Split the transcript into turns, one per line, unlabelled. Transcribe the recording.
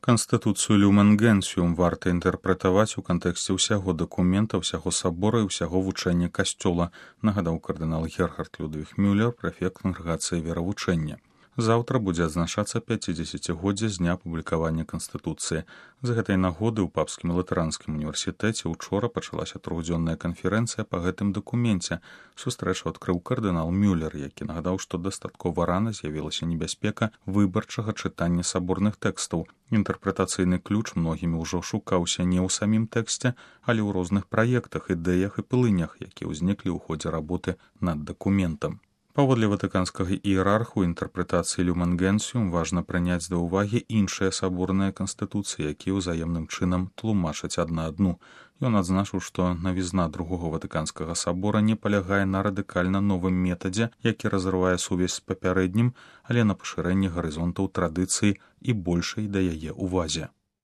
Канстытуцыю Люмен Генсіум варта інтэрпрэтаваць у кантэксце ўсяго дакумента, ўсяго сабора і ўсяго вучэння касцёла, нагадаў кардынал Герхард Людвіг Мюллер, прэфект кангрэгацыі веравучэння. Заўтра будзе адзначацца 50-годдзе з дня публікавання Канстытуцыі. З гэтай нагоды ў Папскім латаранскім універсітэце ўчора пачалася трохдзённая канферэнцыя па гэтым дакуменце. Сустрэчу адкрыў кардынал Мюллер, які нагадаў, што дастаткова рана з'явілася небяспека выбарчага чытання саборных тэкстаў. Інтэрпрэтацыйны ключ многімі ўжо шукаўся не ў самім тэксце, але ў розных праектах, ідэях і пылынях, якія ўзніклі ў ходзе работы над дакументам. Паводле ватыканскага іерарху інтэрпрэтацыі Люмен Генсіум важна прыняць да ўвагі іншыя саборныя канстытуцыі, якія ўзаемным чынам тлумачаць адна адну. Ён адзначыў, што навізна другога ватыканскага сабора не палягае на радыкальна новым метадзе, які разрывае сувязь з папярэднім, але на пашырэнні гарызонтаў традыцыі і большай да яе ўвазе.